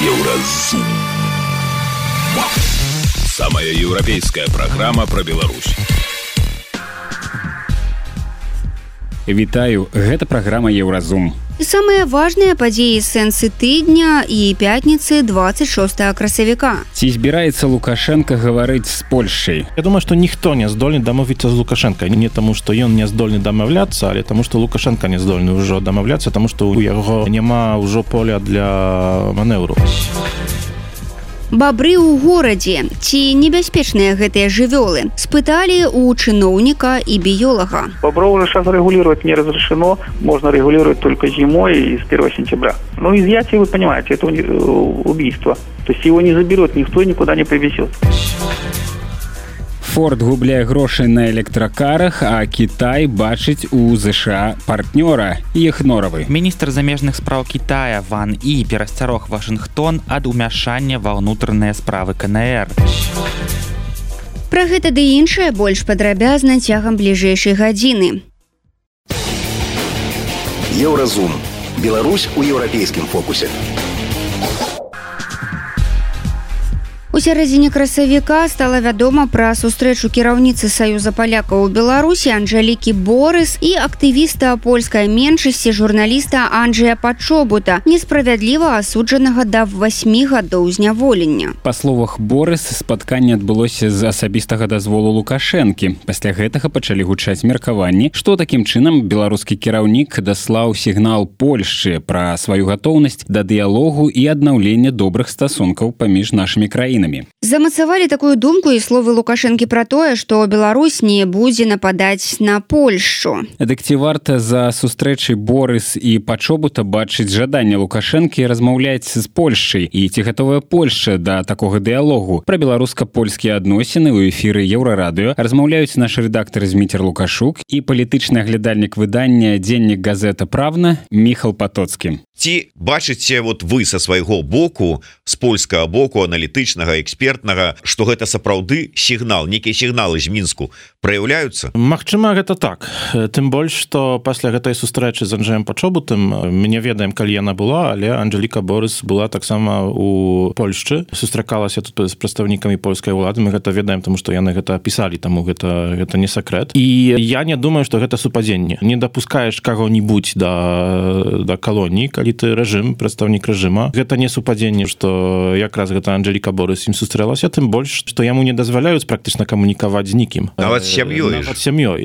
Еўразум. Самая еўрапейская праграма пра Беларусь. Вітаю, гэта праграма Еўразум. І самыя важныя падзеі сэнсы тыдня і пятніцы 26 красавіка. Ці збіраецца Лукашенко гаварыць з Польшчай? Я думаю, што ніхто не здольны дамовіцца з Лукашенко. Не таму, што ён не здольны дамаўляцца, але таму, што Лукашенко не здольны ўжо дамаўляцца, таму што ў яго няма ўжо поля для манеўру. Бабры ў горадзе. Ці небяспечныя гэтыя жывёлы? Спыталі у чыноўніка и биолога. Бобров уже сейчас регулировать не разрешено. Можно регулировать только зимой и с 1 сентября. Но изъятие, вы понимаете, это убийство. То есть его не заберут, никто никуда не привезет. Форд губляе грошы на электракарах, а Кітай бачыць у ЗША партнёра, іх норавы. Міністр замежных спраў Китая Ван І перасцярог Вашынгтон ад умяшання ва ўнутраныя справы КНР. Пра гэта ды іншае больш падрабязна цягам бліжэйшай гадзіны. Еўразум. Беларусь у еўрапейскім фокусе. У сярэдзіне красавіка стала вядома пра сустрэчу кіраўніцы Саюза палякаў у Беларусі Анжэлікі Борыс і актывіста польскай меншасці журналіста Анджэя Пачобута, несправядліва асуджанага да 8 гадоў зняволення. Па словах Борыс, спатканне адбылося з асабістага дазволу Лукашэнкі. Пасля гэтага пачалі гучаць меркаванні, што такім чынам беларускі кіраўнік даслаў сігнал Польшчы пра сваю гатоўнасць да дыялогу і аднаўлення добрых стасункаў паміж нашымі краінамі. Замацавалі такую думку і словы Лукашэнкі пра тое, што Беларусь не будзе нападаць на Польшчу. Дык ці варта за сустрэчай Борыс і Пачобута бачыць жаданне Лукашэнкі размаўляць з Польшчай, і ці гатовая Польшча да такога дыялогу? Пра беларуска-польскія адносіны ў эфіры Еўрарадыё размаўляюць наш рэдактар Зміцер Лукашук і палітычны аглядальнік выдання «Дзеннік газета Правна» Міхал Патоцкі. Ці бачыце вы са свайго боку, з польскага боку, аналітычнага, экспертнага, што гэта сапраўды сігнал, нейкія сігналы з Мінску праяўляюцца? Магчыма, гэта так. Тым больш, што пасля гэтай сустрэчы з Анджэем Пачобутам, мы не ведаем, калі яна была, але Анжэліка Борыс была таксама у Польшчы, сустракалася тут з прадстаўнікамі польскай улады, мы гэта ведаем, таму што яны гэта пісалі, таму гэта не сакрэт. І я не думаю, што гэта супадзенне. Не дапускаеш каго-нибудь да калоніі, калі ты рэжым, прадстаўнік рэжыма. Гэта не супадзенне, што якраз гэта Анжэліка Борыс ім сустрэлася, тым больш, што яму не дазваляюць практычна камунікаваць з нікім. Нават сям'ёй.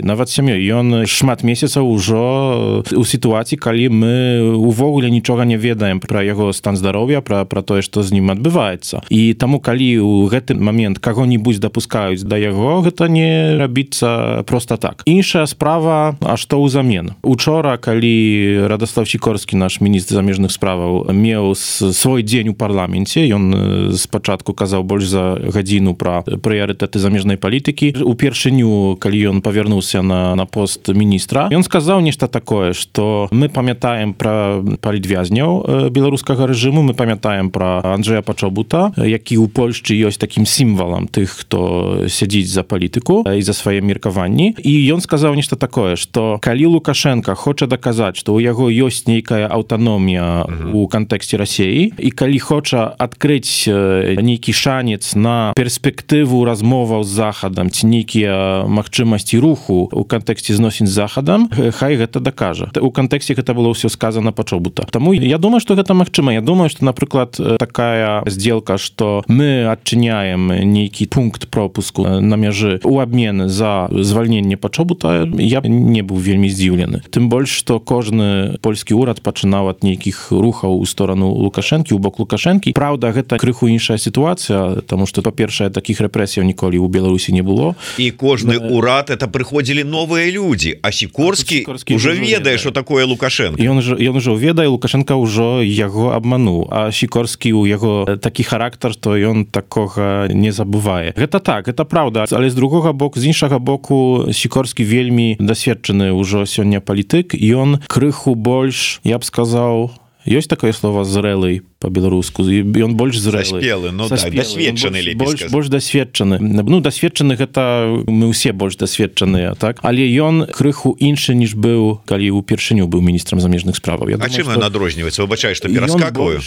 Нават сям'ёй. Ён шмат месяцаў ужо у сітуацыі, калі мы увогуле нічога не ведаем пра яго стан здароўя, пра тое, што з ім адбываецца. І таму, калі ў гэты момент каго-нибудь дапускаюць да яго, гэта не рабіцца проста так. Іншая справа, а што ўзамен? Учора, калі Радослав Сікорскі, наш міністр замежных справаў, меў свой дзень у парламенце, ён спачатку казаў больш за гадзіну пра прыярытэты замежнай палітыкі. Упершыню, калі ён павярнуўся на пост міністра, ён сказаў нешта такое, што мы памятаем пра палітвязняў беларускага рэжыму, мы памятаем пра Анджэя Пачобута, які ў Польшчы ёсць такім сімвалам тых, хто сядзіць за палітыку і за свае меркаванні. І ён сказаў нешта такое, што калі Лукашенко хоча даказаць, што ў яго ёсць нейкая аўтаномія у кантэксце Расіі, і калі хоча адкрыць нейкі шанец на перспектыву размоваў з Захадам ці нейкія магчымасці руху у кантэксце зносін з Захадам, хай гэта дакажа. У кантэксце гэта было ўсё сказана Пачобута. Таму я думаю, што гэта магчыма. Я думаю, што, напрыклад, такая здзелка, што мы адчыняем нейкі пункт пропуску на мяжы ў абмен за звальненне Пачобута, я не быў вельмі здзіўлены. Тым больш, што кожны польскі ўрад пачынаў ад нейкіх рухаў у сторону Лукашэнкі, у бок Лукашэнкі. Праўда, гэта крыху іншая сітуацыя, таму што, па-першае, такіх рэпрэсіяў ніколі ў Беларусі не было. І кожны ўрад, это прыходзілі новыя людзі, а Сікорскі ўжо ведае, што такое Лукашэнка. Ён ужо ведае, Лукашэнка ўжо яго абмануў, а Сікорскі ў яго такі характар, што ён такога не забывае. Гэта так, гэта праўда, але з другога боку, з іншага боку, Сікорскі вельмі дасведчаны ўжо сёння палітык, і ён крыху больш, я б сказаў, Ёсць такое слово зрэлый по-беларуску, і ён больш зрэлы. Заспелы, ну так, дасведчаны лепей сказаць. Больш дасведчаны. Ну, дасведчаны гэта мы ўсе больш дасведчаныя, так? Але ён крыху іншы, ніж быў, калі ўпершыню быў міністрам замежных справаў. А чым ён адрозніваецца? Выбачаю, што пераскакваю.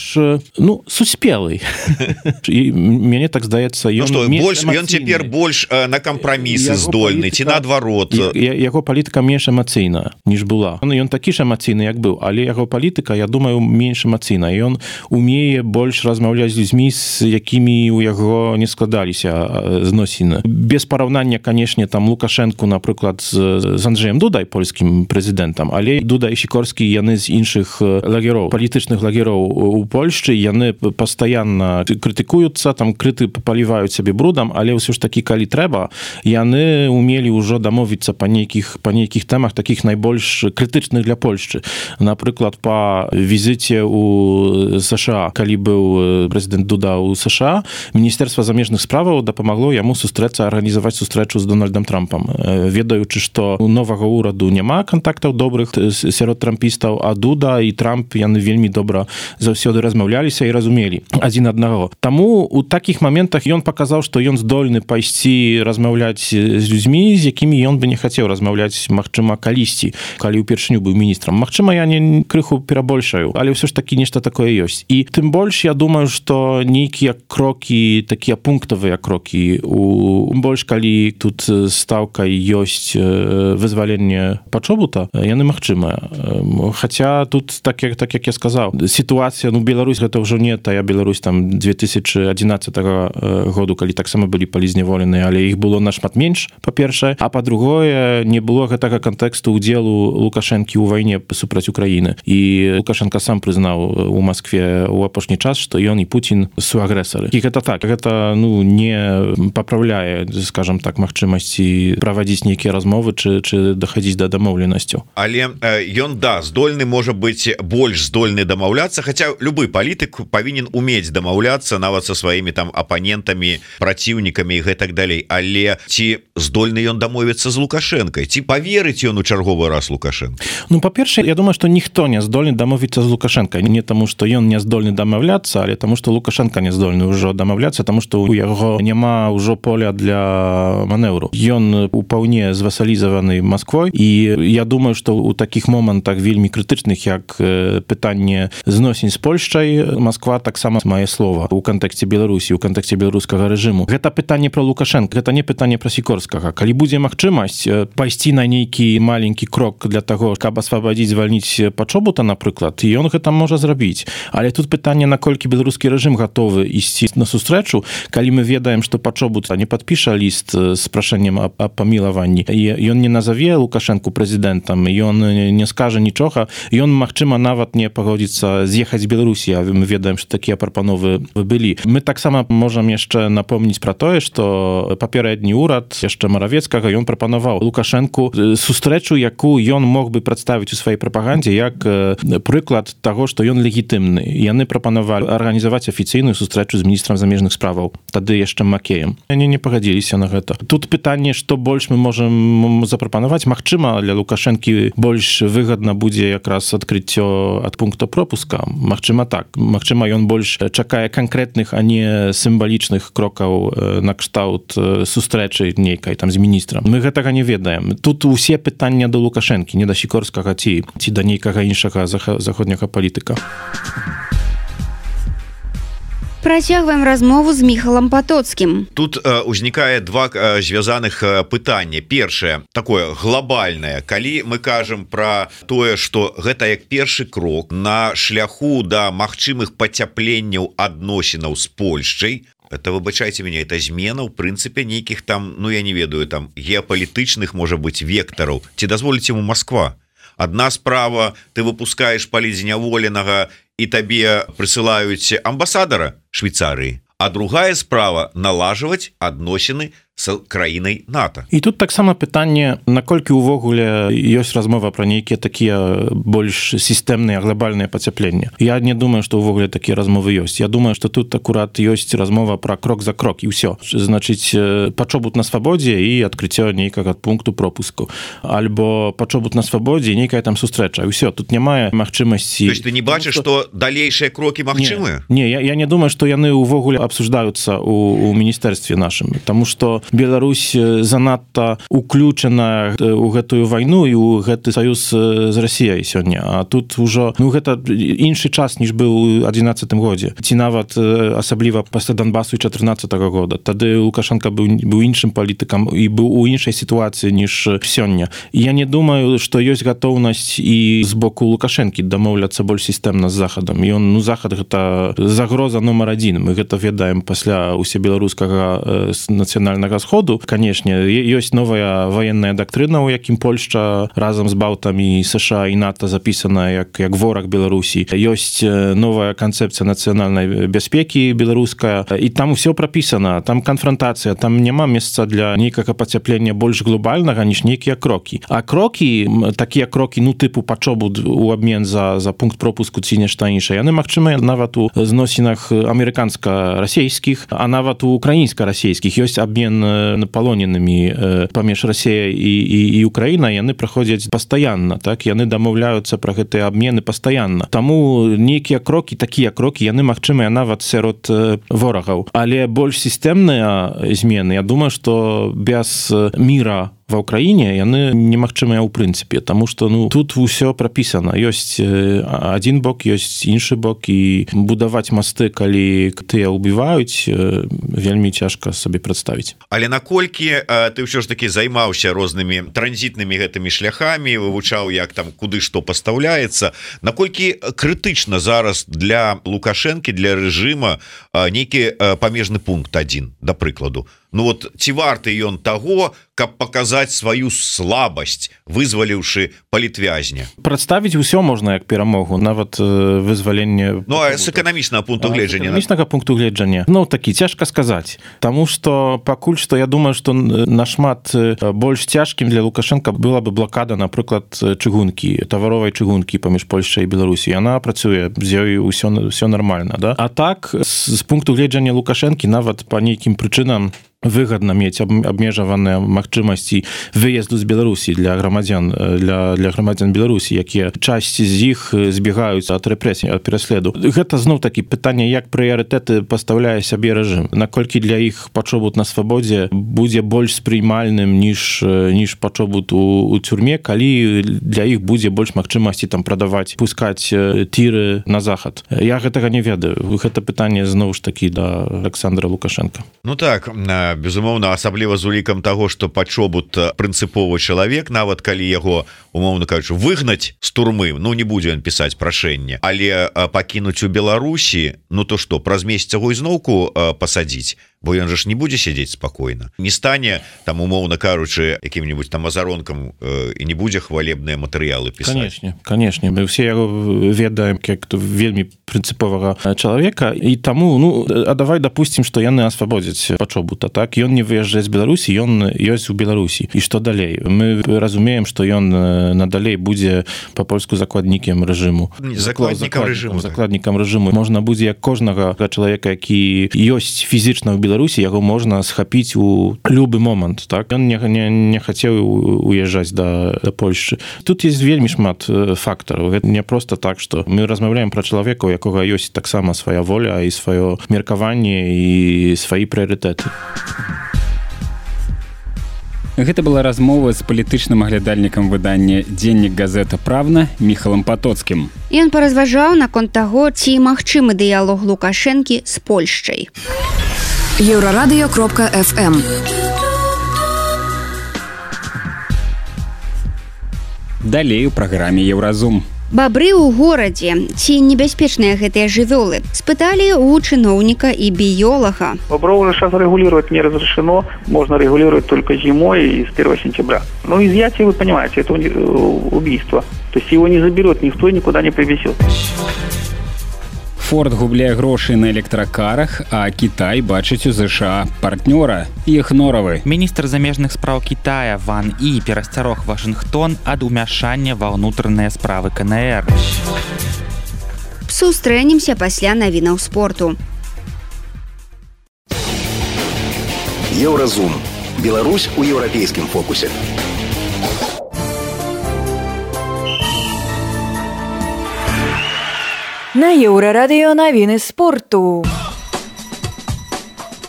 Ну, суспелый. І мяне так здаецца, ён цяпер больш на кампрамісы здольны, ці наадварот. Яго палітыка менш эмацыйная, ніж была. Ён такі ж эмацыйны, як быў, але яго палітыка, я думаю, менш эмацыйна. Ён умее больш размаўляць з людзьмі, з якімі у яго не складаліся зносіны. Без параўнання, канешне, там Лукашэнку, напрыклад, з Анджеем Дудай, польскім прэзідэнтам, але Дуда і Сікорскі, яны з іншых лагероў, палітычных лагероў у Польшчы, яны пастаянна крытыкуюцца, там крыты паліваюць сябе брудам, але ўсё ж такі, калі трэба, яны умелі ўжо дамовіцца па нейкіх тэмах, такіх найбольш крытычных для Польшчы. Напрыклад, па візіце ў США, калі быў прэзідэнт Дуда ў США, Міністэрства замежных справаў дапамагло яму сустрэцца, арганізаваць сустрэчу з Дональдам Трампам, ведаючы, што у новага ўраду няма кантактаў добрых сярод трампістаў, а Дуда і Трамп, яны вельмі добра заўсёды размаўляліся і разумелі адзін аднаго. Таму у такіх моментах ён паказаў, што ён здольны пайсці размаўляць з людзьмі, з якімі ён бы не хацеў размаўляць, магчыма, калісьці, калі ўпершыню быў міністрам. Магчыма, я не крыху перабольшаю, але ўсё ж такі нешта такое ёсць. І тым больш, я думаю, што нейкія крокі, такія пунктавыя крокі, больш калі тут стаўкай ёсць вызваленне Пачобута, яны магчымыя. Хаця тут, так як я сказаў, сітуацыя, Беларусь, гэта ўжо не тая Беларусь там 2011 году, калі таксама былі палізняволеныя, але іх было нашмат менш, па-першае, а па-другое, не было гэтага кантэксту ўдзелу Лукашэнкі ў вайне супраць Украіны. І Лукашенко сам прызнаў у Маскве ў апошні час, што ён і Путін суагрэсары. І гэта так, гэта не папраўляе, скажам так, магчымасці правадзіць нейкія размовы чи дахадзіць да дамоўленасцяў. Але ён, здольны, можа быць, больш здольны дамаўляцца, хаця любы палітык павінен умець дамаўляцца нават са сваімі там апанентамі, праціўнікамі і гэтак далей. Але ці здольны ён дамовіцца з Лукашэнкай? Ці паверыць ён у чарговы раз Лукашэнка? Ну, па-першае, я думаю, што ніхто не здольны дамовіцца з Лукашэнкай. Не таму, што ён не здольны дамаўляцца, але таму, што Лукашэнка не здольны ўжо дамаўляцца, таму, што у яго няма ўжо поля для манеўру. Ён упаўне звасалізаваны Масквой, і я думаю, што ў такіх момантах вельмі крытычных, як пытанне зносін з Польшчай, Масква таксама мае слова ў кантэксце Беларусі, ў кантэксце беларускага рэжыму. Гэта пытанне пра Лукашэнка, гэта не пытанне пра Сікорскага. Калі будзе магчымасць пайсці на нейкі маленькі крок для таго, каб асвабадзіць, звальніць Пачобута, напрыклад, і ён гэта можа зрабіць. Але тут пытанне, наколькі беларускі рэжым гатовы ісці на сустрэчу, калі мы ведаем, што Пачобут не падпіша ліст з прашэннем аб памілаванні. Ён не назаве Лукашэнку прэзідэнтам, ён не скажа нічога, ён, магчыма, нават не пагодзіцца з'ехаць з Беларусі, а мы ведаем, што такія прапановы былі. Мы таксама можам яшчэ напомніць пра тое, што папярэдні ўрад яшчэ Маравецкага, ён прапанаваў Лукашэнку сустрэчу, якую ён мог бы прадставіць у сваёй прапагандзе як прыклад таго, што ён легітымны. Яны прапанавалі арганізаваць афіцыйную сустрэчу з міністрам замежных справаў, тады яшчэ Макеем. Яны не пагадзіліся на гэта. Тут пытанне, што больш мы можам запрапанаваць. Магчыма, для Лукашэнкі больш выгадна будзе якраз адкрыццё ад пункта пропуска. Магчыма, так. Магчыма, ён больш чакае канкрэтных, а не сімвалічных крокаў на кшталт сустрэчы нейкай там з міністрам. Мы гэтага не ведаем. Тут усе пытання да Лукашэнкі, не да Сікорскага ці да нейкага іншага заходняга палітыка. Працягваем размову з Міхалам Патоцкім. Тут узнікае два звязаных пытання. Першае, такое глобальнае. Калі мы кажам пра тое, што гэта як першы крок на шляху да магчымых пацяпленняў адносінаў з Польшчай, это, выбачайце мяне, это змена, ў прынцыпе, нейкіх там, я не ведаю, там геапалітычных, можа быць, вектараў. Ці дазволіць яму Масква? Адна справа, ты выпускаеш палізняволенага і табе прысылаюць амбасадара Швейцарыі, а другая справа — налажваць адносіны с краінай НАТО. І тут таксама пытанне, наколькі ўвогуле ёсць размова пра нейкія такія больш сістэмныя глобальныя пацяпленні. Я не думаю, што ўвогуле такія размовы ёсць. Я думаю, што тут акурат ёсць размова пра крок за крок і ўсё. Значыць, пачобут на свабодзе і адкрыццё нейкага пункту пропуску. Альбо пачобут на свабодзе і нейкая там сустрэча. І ўсё, тут няма магчымасці... То есть ты не бачыш, што далейшыя крокі магчымыя? Не, я не думаю, што яны ўвогуле абсуждаюцца у міністэрстве нашым. Таму што Беларусь занадта уключана ў гэтую вайну і ў гэты саюз з Расіяй сёння. А тут ужо, гэта іншы час, ніж быў у 2011 годзе. Ці нават асабліва пасля Донбасу 2014 года. Тады Лукашенко быў іншым палітыкам і быў у іншай сітуацыі, ніж сёння. Я не думаю, што ёсць гатоўнасць і з боку Лукашэнкі дамоўляцца больш сістэмна з Захадам. І Захад гэта загроза номер 1. Мы гэта ведаем пасля усебеларускага нацыянальнага сходу. Канешне, ёсць новая ваенная дактрына, у якім Польшча разам з балтамі США і НАТО запісана як вораг Беларусі. Ёсць новая канцэпцыя нацыянальнай бяспекі беларуская, і там усё прапісана, там канфронтацыя, там няма месца для нейкага пацяплення больш глобальнага, ніж нейкія крокі. А крокі, такія крокі, тыпу пачобут у абмен за пункт пропуску ці нешта іншае, яны магчымыя нават у зносінах амерыканска-расейскіх, а нават у украінска-расейскіх. Ёсць абмен палоненымі паміж Расіяй і Украінай, яны праходзяць пастаянна, так? Яны дамаўляюцца пра гэтыя абмены пастаянна. Таму нейкія крокі, такія крокі, яны магчымыя нават сярод ворагаў. Але больш сістэмныя змены, я думаю, што без міра ва Ўкраіне яны немагчымыя ў прынцыпе, таму што тут усё прапісана. Ёсць адзін бок, ёсць іншы бок, і будаваць масты, калі тыя ўбіваюць, вельмі цяжка сабе прадставіць. Але наколькі ты ўсё ж такі займаўся рознымі транзітнымі гэтымі шляхамі, вывучаў, як там куды што пастаўляецца, наколькі крытычна зараз для Лукашэнкі, для рэжыма нейкі памежны пункт 1, да прыкладу. Ці варты ён таго, каб паказаць сваю слабасць, вызваліўшы палітвязня? Прадставіць усё можна як перамогу, нават вызваленне... з эканамічнага пункту гледжання. З эканамічнага пункту гледжання. Такі, цяжка сказаць. Таму што пакуль што я думаю, што нашмат больш цяжкім для Лукашенка была бы блакада, напрыклад, чыгункі, таваровай чыгункі паміж Польшчай і Беларусі. Яна працуе, з ёй усё нармальна. Да? А так, з пункту гледжання Лукашэнкі нават па нейкім прычынам выгадна мець абмежаваныя магчымасці выезду з Беларусі для грамадзян Беларусі, якія часці з іх збегаюцца ад рэпрэсій, ад пераследу. Гэта зноў такі пытанне, як прыярытэты пастаўляе сябе рэжым. Наколькі для іх пачобут на свабодзе будзе больш спрыймальным, ніж пачобут у цюрме, калі для іх будзе больш магчымасці там прадаваць, пускаць тіры на захад. Я гэтага не ведаю. Гэта пытанне зноў ж такі да Александра Лукашенка. Так, безумоўна, асабліва з улікам таго, што пачобут прынцыповы чалавек, нават калі яго, умоўна кажучы, выгнаць з турмы, не будзе ён пісаць прашэнне, але пакінуць у Беларусі, то што, праз месяц яго ізноўку пасадзіць, бо ён же ж не будзе сядзець спакойна. Не стане, там, умоўна кажучы, якім-небудзь там азаронкам і не будзе хвалебныя матэрыялы пісаць. Канешне, мы ўсе яго ведаем як вельмі прынцыповага чалавека, і таму, давай дапусцім, што яны асвабодзяць пачобута, так? Ён не выязджае з Беларусі, ён ёсць у Беларусі. І што далей? Мы разумеем, што ён надалей будзе па-польску закладнікам рэжыму. Закладнікам рэжыму. Можна будзе як кожнага чалавека, які ёсць фізічна ў Беларусі, яго можна схапіць у любы момант, так? Ён не хацеў уязджаць да Польшчы. Тут ёсць вельмі шмат фактараў. Гэта не проста так, што мы размаўляем пра чалавека, у якога ёсць таксама свая воля і сваё меркаванне і свае прыярытэты. Гэта была размова з палітычным аглядальнікам выдання «Дзеннік газета Правна» Міхалам Патоцкім. Ён паразважаў наконт таго, ці магчымы дыялог Лукашэнкі з Польшчай. Еўрарадыё.фм. Далей у праграме «Еўразум». Бабры ў горадзе. Ці небяспечныя гэтыя жывёлы? Спыталі у чыноўніка і біёлага. Бобров уже сейчас регулировать не разрешено. Можно регулировать только зимой и с 1 сентября. Изъятие, вы понимаете, это убийство. То есть его не заберет никто и никуда не привезет. Форд губляе грошай на электракарах, а Кітай бачыць у ЗША партнёра іх норавы. Міністр замежных спраў Китая Ван І перасцярог Вашингтон ад умяшання ва ўнутраныя справы КНР. Сустрэнемся пасля навінаў спорту. Еўразум. Беларусь у еўрапейскім фокусе. На Еўрарадыё навіны спорту.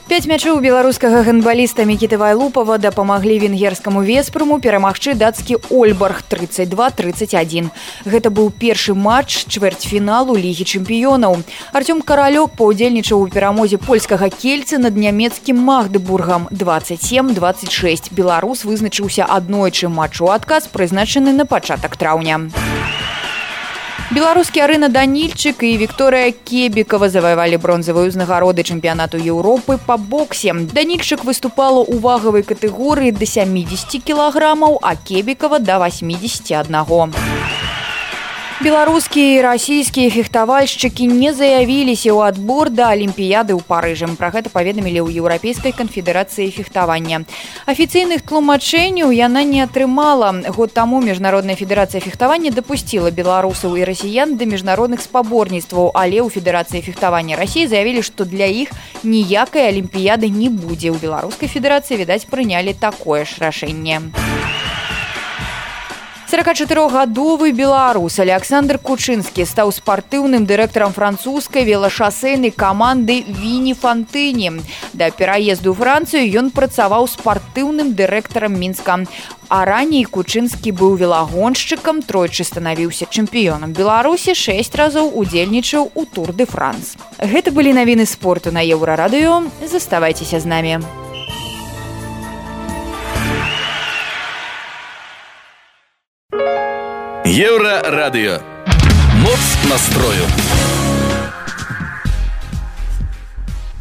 5 мячоў беларускага гандбаліста Мікіты Вайлупава дапамаглі венгерскаму Веспруму перамагчы дацкі Ольбарг 32-31. Гэта быў першы матч чвэрцьфіналу Лігі чэмпіёнаў. Артём Каралёк паўдзельнічаў у перамозе польскага Кельцы над нямецкім Магдебургам 27-26. Беларус вызначыўся аднойчы матч у адказ, прызначаны на пачатак траўня. Беларускі Арына Данільчык і Вікторыя Кебікава заваявалі бронзавыя ўзнагароды чэмпіянату Еўропы па боксе. Данільчык выступала ў вагавай катэгорыі да 70 кілаграмаў, а Кебікава да 81. Беларускія і расійскія фехтавальшчыкі не заявіліся ў адбор да Алімпіяды ў Парыжы. Пра гэта паведамілі ў Еўрапейскай канфедэрацыі фехтавання. Афіцыйных тлумачэнняў яна не атрымала. Год таму Міжнародная федэрацыя фехтавання дапусціла беларусаў і расіян да міжнародных спаборніцтваў, але ў Федэрацыі фехтавання Расіі заявілі, што для іх ніякай Алімпіяды не будзе. У Беларускай федэрацыі, відаць, прынялі такое ж рашэнне. 44-гадовы беларус Александр Кучынскі стаў спартыўным дырэктарам французскай велашасэйнай каманды Віні Фантыні. Да пераезду ў Францыю ён працаваў спартыўным дырэктарам Мінска. А раней Кучынскі быў велагоншчыкам, тройчы станавіўся чэмпіёнам Беларусі, 6 разоў удзельнічаў у Тур де Франс. Гэта былі навіны спорту на Еўрарадыё. Заставайцеся з намі. Еўрарадыё. Моц настрою.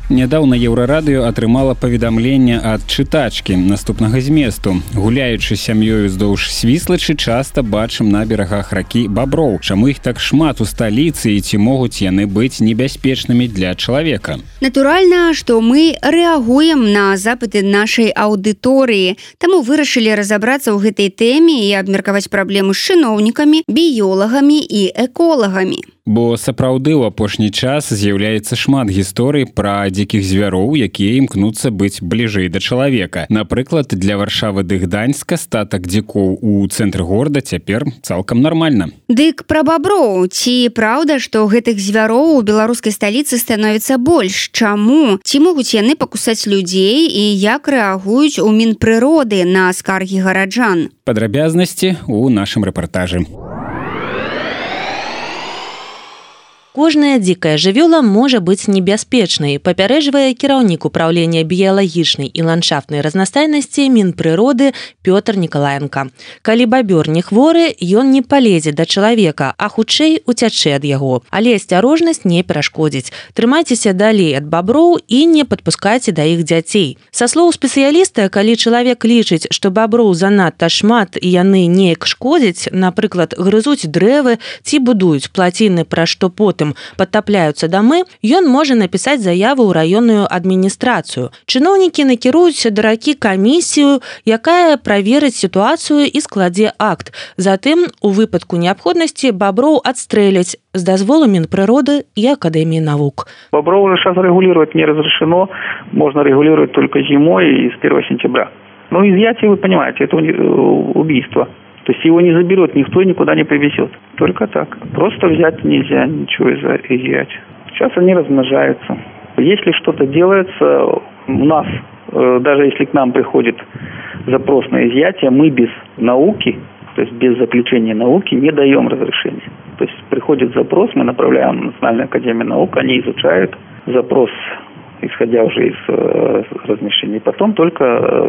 Нядаўна Еўрарадыё атрымала паведамленне ад чытачкі наступнага зместу. Гуляючы сям'ёю ўздоўж Свіслачы, часта бачым на берагах ракі баброў. Чаму іх так шмат у сталіцы і ці могуць яны быць небяспечнымі для чалавека? Натуральна, што мы рэагуем на запыты нашай аўдыторыі, таму вырашылі разабрацца ў гэтай тэме і абмеркаваць праблему з чыноўнікамі, біёлагамі і эколагамі. Бо сапраўды ў апошні час з'яўляецца шмат гісторый пра дзікіх звяроў, якія імкнуцца быць бліжэй да чалавека. Напрыклад, для Варшавы ды Гданьска статак дзікоў у цэнтры горада цяпер цалкам нармальна. Дык пра баброў. Ці праўда, што гэтых звяроў у беларускай сталіцы становіцца больш? Чаму? Ці могуць яны пакусаць людзей і як рэагуюць у Мінпрыроды на скаргі гараджан? Падрабязнасці ў нашым рэпартажы. Кожная дзікая жывёла можа быць небяспечнай, папярэджвае кіраўнік управлення біялагічнай і ландшафтнай разнастайнасці Мінпрыроды Пётр Нікалаенка. Калі бабёр не хворы, ён не палезе да чалавека, а хутчэй уцячэ ад яго. Але асцярожнасць не перашкодзіць. Трымайцеся далей ад баброў і не падпускайце да іх дзяцей. Са слоў спецыяліста, калі чалавек лічыць, што баброў занадта шмат і яны неяк шкодзяць, напрыклад, грызуць дрэвы ці будуюць плаціны, пра што потым падтапляюцца дамы, ён можа напісаць заяву ў раённую адміністрацыю. Чыноўнікі накіруюць да ракі камісію, якая праверыць сітуацыю і складзе акт. Затым, у выпадку неабходнасці, баброў адстрэляць з дазволу Мінпрыроды и Академии наук. Бобров уже сейчас регулировать не разрешено, можно регулировать только зимой и с 1 сентября. Но изъятие, вы понимаете, это убийство. То есть его не заберут, никто никуда не привезет. Только так. Просто взять нельзя ничего изъять. Сейчас они размножаются. Если что-то делается, у нас, даже если к нам приходит запрос на изъятие, мы без науки, то есть без заключения науки, не даем разрешения. То есть приходит запрос, мы направляем в Национальную академию наук, они изучают запрос исходя уже из размещения. Потом только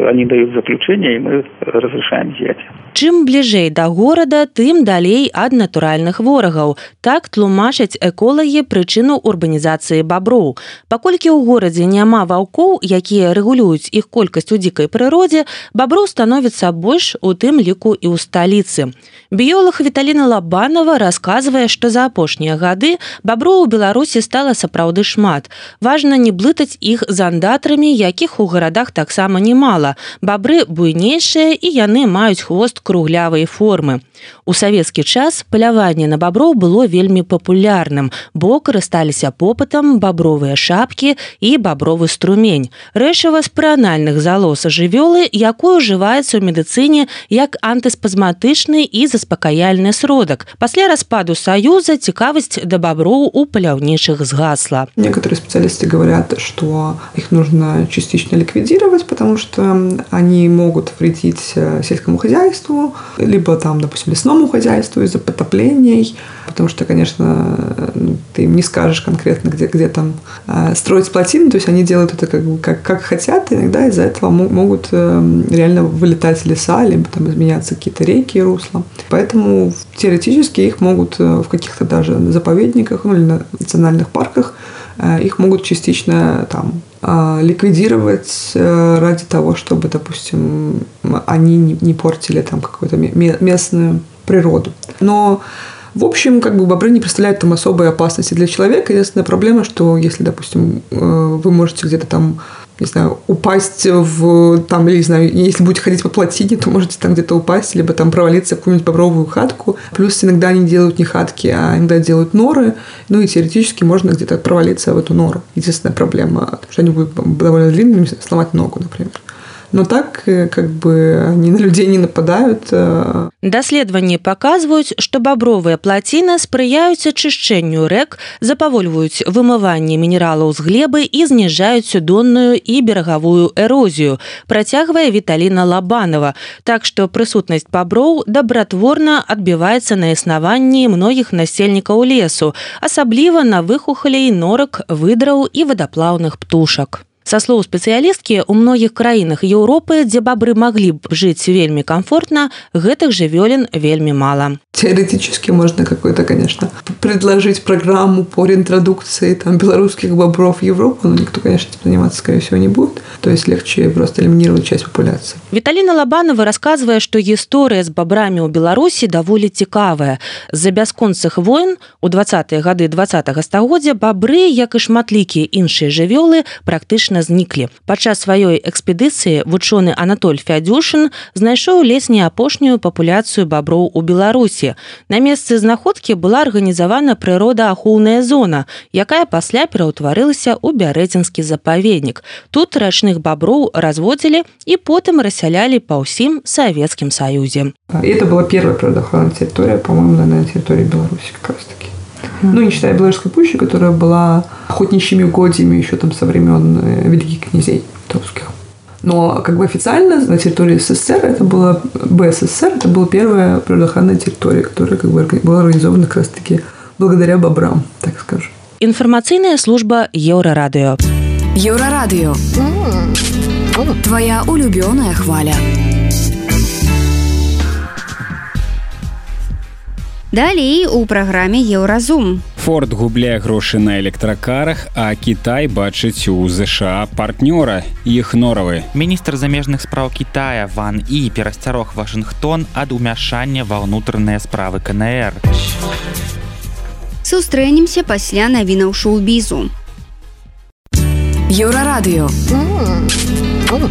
они дают заключение, и мы разрешаем изъятие. Чым бліжэй да горада, тым далей ад натуральных ворагаў. Так тлумачаць эколагі прычыну урбанізацыі баброў. Паколькі ў горадзе няма ваўкоў, якія рэгулююць іх колькасць у дзікай прыродзе, баброў становіцца больш, у тым ліку і ў сталіцы. Біёлаг Віталіна Лабанова расказвае, што за апошнія гады баброў у Беларусі стала сапраўды шмат. Важна не блытаць іх з андатрамі, якіх у гарадах таксама немала. Бабры буйнейшыя, і яны маюць хвост круглявай формы. У савецкі час паляванне на баброў было вельмі папулярным, бо карысталіся попытам бабровыя шапкі і бабровы струмень. Рэчыва з прыанальных залоз жывёлы, якое ўжываецца ў медыцыне як антыспазматычны і заспакаяльны сродак. Пасля распаду Саюза цікавасць да баброў у паляўнічых згасла. Некоторые специалисты говорят, что их нужно частично ликвидировать, потому что они могут вредить сельскому хозяйству, либо там, допустим, лесному хозяйству из-за потоплений, потому что, конечно, ты им не скажешь конкретно, где там строить плотины, то есть они делают это как хотят, и иногда из-за этого могут реально вылетать леса, либо там изменяться какие-то реки и русла. Поэтому теоретически их могут в каких-то даже заповедниках, ну, или на национальных парках, их могут частично там ликвидировать ради того, чтобы, допустим, они не портили там какую-то местную природу. Но в общем, бобры не представляют там особой опасности для человека. Единственная проблема, что если, допустим, вы можете где-то там, не знаю, упасть там, или, не знаю, если будете ходить по плотине, то можете там где-то упасть, либо там провалиться в какую-нибудь бобровую хатку. Плюс иногда они делают не хатки, а иногда делают норы. Ну и теоретически можно где-то провалиться в эту нору. Единственная проблема, что они будут довольно длинными, сломать ногу, например. Но так, они на людей не нападают. Даследаванні паказваюць, што бабровыя плаціны спрыяюць ачышчэнню рэк, запавольваюць вымыванне мінералаў з глебы і зніжаюць судонную і берагавую эрозію, працягвае Віталіна Лабанова. Так што прысутнасць баброў дабратворна адбіваецца на існаванні многіх насельнікаў лесу, асабліва на выхухалей, норак, выдраў і вадаплаўных птушак. Са слоў спецыялісткі, у многіх краінах Еўропы, дзе бабры маглі б жыць вельмі комфортна, гэтых жывёлін вельмі мала. Теоретически можно какой-то, конечно, предложить программу по реинтродукции там, белорусских бобров в Европу, но никто, конечно, заниматься, скорее всего, не будет. То есть легче просто элиминировать часть популяции. Віталіна Лабанова расказвае, што гісторыя з бабрамі ў Беларусі даволі цікавая. З-за бясконцых войн у 20-е гады 20-го стагоддзя бабры, як і шматлікія іншыя жывёлы, практычна зніклі. Падчас сваёй экспедыцыі вучоны Анатоль Фядзюшын знайшоў ледзь апошнюю папуляцыю баброў у Беларусі. На месцы знаходкі была арганізавана прыродаахоўная зона, якая пасля пераўтварылася ў Бярэцінскі запаведнік. Тут рачных баброў разводзілі і потым рассялялі па ўсім Савецкім Саюзе. Это была первая природоохранная территория, по-моему, на территории Беларуси как раз-таки. Ну, не считая Белорусской пущи, которая была охотничьими угодьями еще там со времен великих князей русских. Но официально на территории СССР это было БССР, это была первая природоохранная территория, которая была организована как раз-таки благодаря бобрам, так скажем. Информационная служба Еврорадио. Еврорадио. Твоя улюбленная хваля. Далей у праграме Еўразум. Форд губляе грошы на электракарах, а Кітай бачыць у ЗША партнёра, іх норавы. Міністр замежных спраў Китая Ван І перасцярог Вашынгтон ад умяшання ва ўнутраныя справы КНР. Сустрэнемся пасля навінаў шоу-бізу. Еўрарадыё.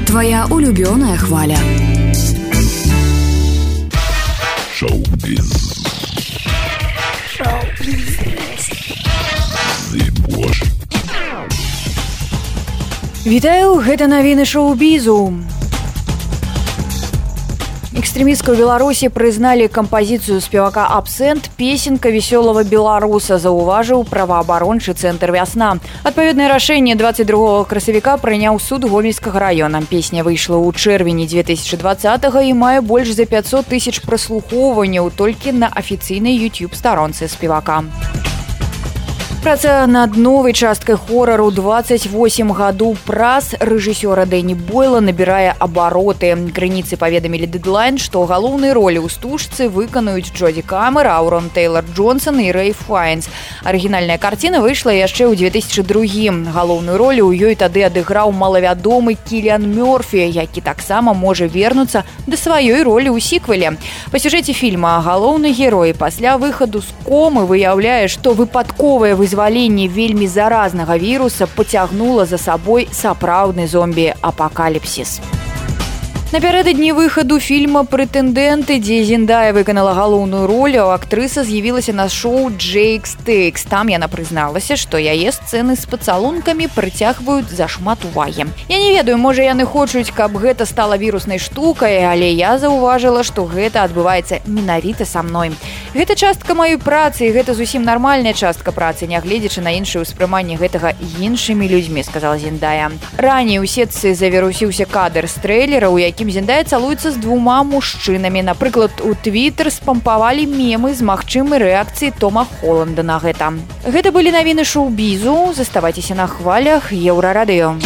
Твоя улюбленная хваля. Шоу-біз. Вітаю, гэта навіны шоу-бізу. Экстрэмісткую Беларусі прызналі кампазіцыю спевака «Абсент» «Песенка весёлого беларуса», заўважыў праваабарончы цэнтр «Вясна». Адпаведнае рашэнне 22 красавіка прыняў суд Гомельскага раёна. Песня выйшла ў чэрвені 2020-го і мае больш за 500 тысяч праслухоўванняў толькі на афіцыйнай YouTube-старонцы спевака. Праца над новай часткай хорару 28 гадоў праз рэжысёра Дэні Бойла набірае абароты. Крыніцы паведамілі Deadline, што галоўныя ролі ў стужцы выканаюць Джоді Камер, Аурон Тэйлар-Джонсон і Рэй Файнс. Арыгінальная карціна выйшла яшчэ ў 2002. Галоўную ролю ў ёй тады адыграў малавядомы Кіліан Мёрфі, які таксама можа вернуцца да сваёй ролі ў сіквеле. Па сюжэце фільма галоўны герой пасля выхаду з комы выяўляе, што выпадковае вызваленне вельмі заразнага віруса пацягнула за сабой сапраўдны зомбі-апакаліпсіс. Напярэдадні выхаду фільма «Прэтэндэнты», дзе Зендая выканала галоўную ролю, актрыса з'явілася на шоу «Джейкс Тэйкс». Там яна прызналася, што яе сцэны з пацалункамі прыцягваюць зашмат увагі. Я не ведаю, можа яны хочуць, каб гэта стала віруснай штукай, але я заўважыла, што гэта адбываецца менавіта са мной. Гэта частка маёй працы, і гэта зусім нармальная частка працы, нягледзячы на іншае ўспрыманне гэтага іншымі людзьмі, сказала Зендая. Раней у сетцы завірусіўся кадр з трэйлера, у якім Зендая цалуецца з двума мужчынамі. Напрыклад, у Твіттер спампавалі мемы з магчымай рэакцыі Тома Холланда на гэта. Гэта былі навіны шоу-бізу. Заставайцеся на хвалях Еўрарадыё.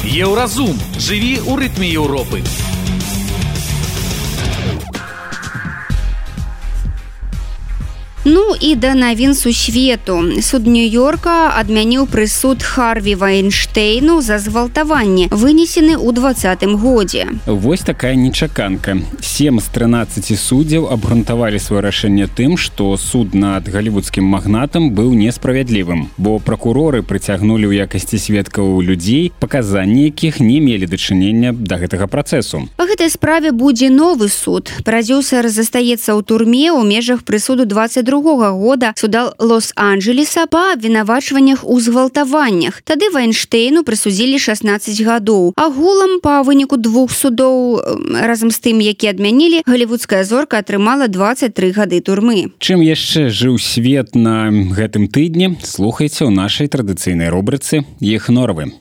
Еўразум. Жыві ў рытме Еўропы. Ну і да навін сусвету. Суд Нью-Йорка адмяніў прысуд Харві Вайнштейну за згвалтаванне, вынесены ў 2020 годзе. Вось такая нечаканка. 7 з 13 суддзяў абгрунтавалі сваё рашэнне тым, што суд над галівудскім магнатам быў несправядлівым, бо пракуроры прыцягнулі ў якасці сведкаў людзей, паказанні якіх не мелі дачынення да гэтага працэсу. Па гэтай справе будзе новы суд. Прадзюсар застаецца ў турме ў межах прысуду 22 года суда Лос-Анджелеса па абвінавачваннях у згвалтаваннях. Тады Вайнштейну прысудзілі 16 гадоў. Агулам па выніку 2 судоў, разам з тым, які адмянілі, галівудская зорка атрымала 23 гады турмы. Чым яшчэ жыў свет на гэтым тыдні, слухайце ў нашай традыцыйнай рубрыцы «Іх норвы».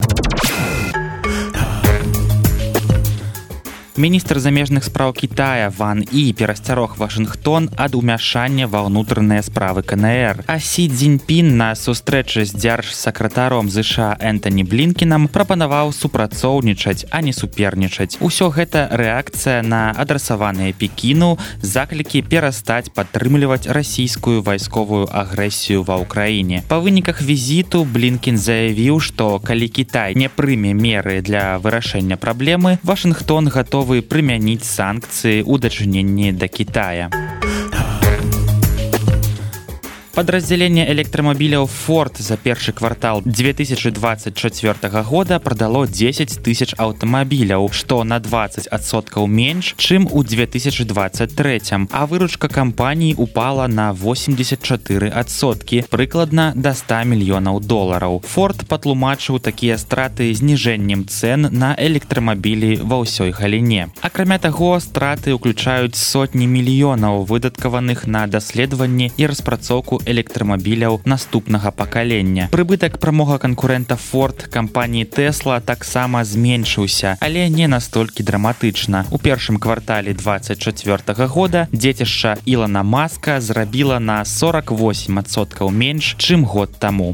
Міністр замежных спраў Китая Ван І перасцярог Вашынгтон ад умяшання ва ўнутраныя справы КНР. А Сі Цзіньпін на сустрэчы з дзяржсакратаром ЗША Энтані Блінкенам прапанаваў супрацоўнічаць, а не супернічаць. Усё гэта рэакцыя на адрасаваныя Пекіну заклікі перастаць падтрымліваць расійскую вайсковую агрэсію ва ўкраіне. Па выніках візіту Блінкен заявіў, што калі Кітай не прыме меры для вырашэння праблемы, Вашынгтон гатовы прымяніць санкцыі ў дачыненні да Китая. Падраздзяленне электрамабіляў Ford за першы квартал 2024 года прадало 10 тысяч аўтамабіляў, што на 20% менш, чым у 2023, а выручка кампаніі упала на 84%, прыкладна да $100 мільёнаў. Ford патлумачыў такія страты зніжэннем цэн на электрамабілі ва ўсёй галіне. Акрамя таго, страты ўключаюць сотні мільёнаў выдаткаваных на даследаванне і распрацоўку электрамабіляў наступнага пакалення. Прыбытак прамога канкурэнта Ford кампаніі Tesla таксама зменшыўся, але не настолькі драматычна. У першым квартале 2024 года дзецішча Ілана Маска зрабіла на 48% менш, чым год таму.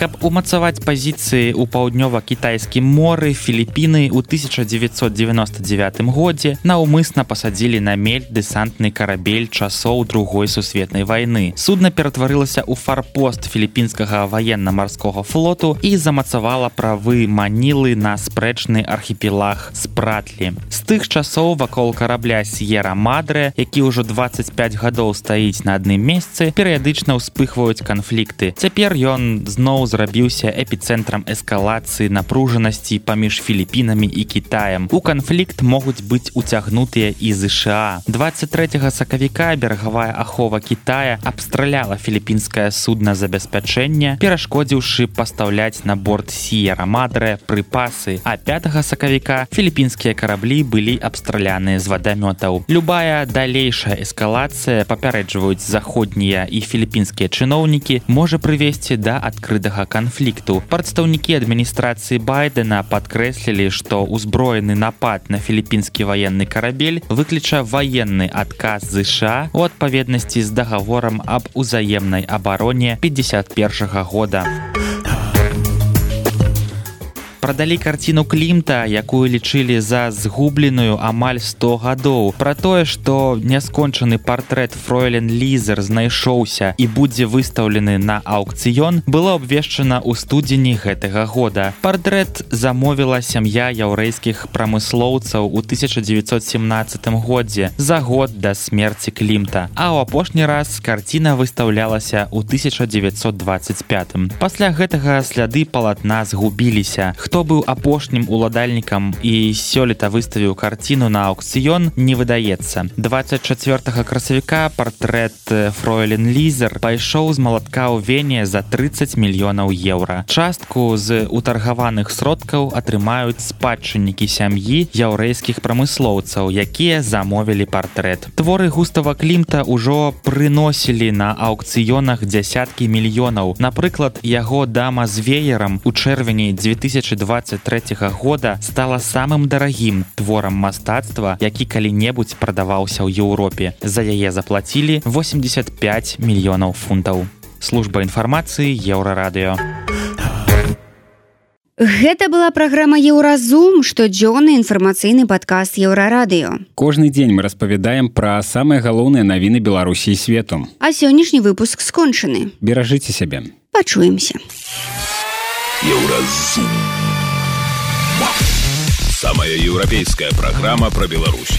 Каб умацаваць пазіцыі ў паўднёва-кітайскім моры, Філіпіны ў 1999 годзе наўмысна пасадзілі на мель дэсантны карабель часоў Другой сусветнай вайны. Судна ператварылася ў фарпост філіпінскага ваенна-марскога флоту і замацавала правы Манілы на спрэчны архіпелаг Спратлі. З тых часоў вакол карабля Сьера Мадре, які ўжо 25 гадоў стаіць на адным месцы, перыядычна ўспыхваюць канфлікты. Цяпер ён зноў зрабіўся эпіцэнтрам эскалацыі напружанасці паміж Філіпінамі і Кітаем. У канфлікт могуць быць уцягнутыя і ЗША. 23 сакавіка берагавая ахова Кітая абстраляла філіпінскае судна-забеспячэнне, перашкодзіўшы пастаўляць на борт Сьера Мадре прыпасы, а 5 сакавіка філіпінскія караблі былі абстраляныя з вадамётаў. Любая далейшая эскалацыя, папярэджваюць заходнія і філіпінскія чыноўнікі, можа прывесці да адкрытага гэтага канфлікту. Прадстаўнікі адміністрацыі Байдена падкрэслілі, што ўзброены напад на філіппінскі ваенны карабель выкліча ваенны адказ ЗША у адпаведнасці з дагаворам аб узаемнай абароне 51-го года. Прадалі карціну Клімта, якую лічылі за згубленую амаль 100 гадоў. Пра тое, што няскончаны партрэт фройлен Лізер знайшоўся і будзе выстаўлены на аўкцыён, было абвешчана ў студзені гэтага года. Партрэт замовіла сям'я яўрэйскіх прамыслоўцаў у 1917 годзе, за год да смерці Клімта. А ў апошні раз карціна выстаўлялася ў 1925. Пасля гэтага сляды палатна згубіліся. Хто быў апошнім уладальнікам і сёлета выставіў карціну на аўкцыён, не выдаецца. 24 красавіка партрэт фройлен Лізер пайшоў з малатка ў Вене за 30 мільёнаў еўра. Частку з утаргаваных сродкаў атрымаюць спадчыннікі сям'і яўрэйскіх прамыслоўцаў, якія замовілі партрэт. Творы Густава Клімта ўжо прыносілі на аўкцыёнах дзясяткі мільёнаў. Напрыклад, яго дама з веерам у чэрвені 2023 года стала самым дарагім творам мастацтва, які калі-небудзь прадаваўся ў Еўропе. За яе заплацілі 85 мільёнаў фунтаў. Служба інфармацыі Еўрарадыё. Гэта была праграма «Еўразум», штодзённы інфармацыйны падкаст Еўрарадыё. Кожны дзень мы распавядаем пра самыя галоўныя навіны Беларусі і свету. А сённяшні выпуск скончаны. Беражыце сябе. Пачуемся. Еўразум. Самая еўрапейская программа про Беларусь.